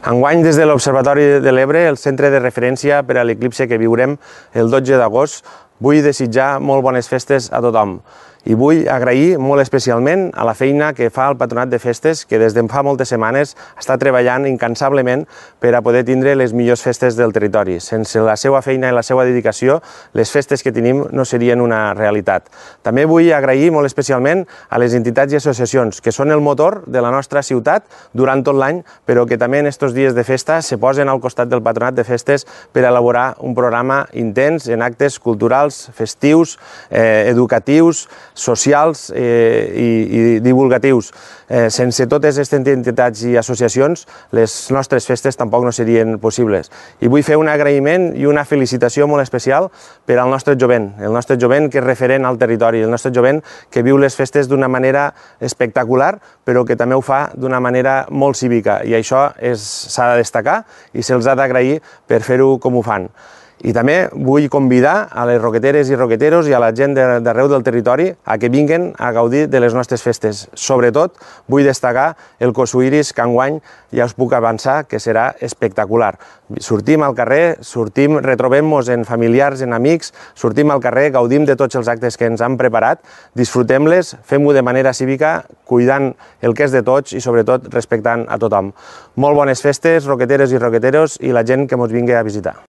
Enguany, des de l'Observatori de l'Ebre, el centre de referència per a l'eclipse que viurem el 12 d'agost, vull desitjar molt bones festes a tothom. I vull agrair molt especialment a la feina que fa el Patronat de Festes, que des de fa moltes setmanes està treballant incansablement per a poder tindre les millors festes del territori. Sense la seva feina i la seva dedicació, les festes que tenim no serien una realitat. També vull agrair molt especialment a les entitats i associacions, que són el motor de la nostra ciutat durant tot l'any, però que també en aquests dies de festa se posen al costat del Patronat de Festes per elaborar un programa intens en actes culturals, festius, educatius, socials i divulgatius. Sense totes aquestes entitats i associacions, les nostres festes tampoc no serien possibles. I vull fer un agraïment i una felicitació molt especial per al nostre jovent, el nostre jovent que és referent al territori, el nostre jovent que viu les festes d'una manera espectacular, però que també ho fa d'una manera molt cívica, i això s'ha de destacar i se'ls ha d'agrair per fer-ho com ho fan. I també vull convidar a les roqueteres i roqueteros i a la gent d'arreu del territori a que vinguin a gaudir de les nostres festes. Sobretot, vull destacar el Cosuiris, que enguany ja us puc avançar que serà espectacular. Sortim al carrer, retrobem-nos en familiars, en amics, sortim al carrer, gaudim de tots els actes que ens han preparat, disfrutem-les, fem-ho de manera cívica, cuidant el que és de tots i sobretot respectant a tothom. Molt bones festes, roqueteres i roqueteros, i la gent que ens vingui a visitar.